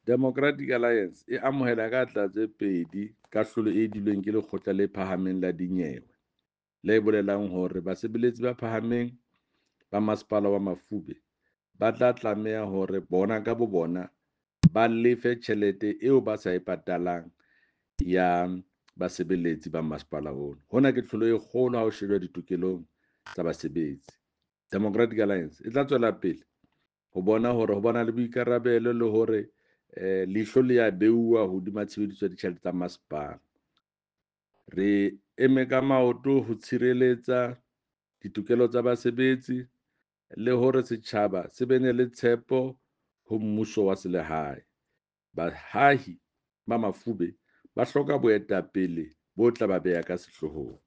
Democratic Alliance e amohela ka tlatse tse pedi kahlolo e dilweng ke Lekgotla le Phahameng la Dinyewe, le bolelang hore basebeletsi ba phahameng ba Masepala wa Mafube ba tla tlameha hore bona ka bobona ba lefe tjhelete eo ba sa e patalang ya basebeletsi ba masepala ona. Hona ke tlholo e kgolo ha ho shejwa ditokelong tsa basebetsi. Democratic Alliance e tla tswela pele ho bona hore ho bona le boikarabelo le hore leihlo le ya beuwa hodima tshebediso ya ditjhelete tsa masepala. Re eme ka maoto ho tshireletsa ditokelo tsa basebetsi le hore setjhaba se bene le tshepo ho mmuso wa selehae. Baahi ba Mafube ba hloka boetapele bo tla ba beha ka sehloohong.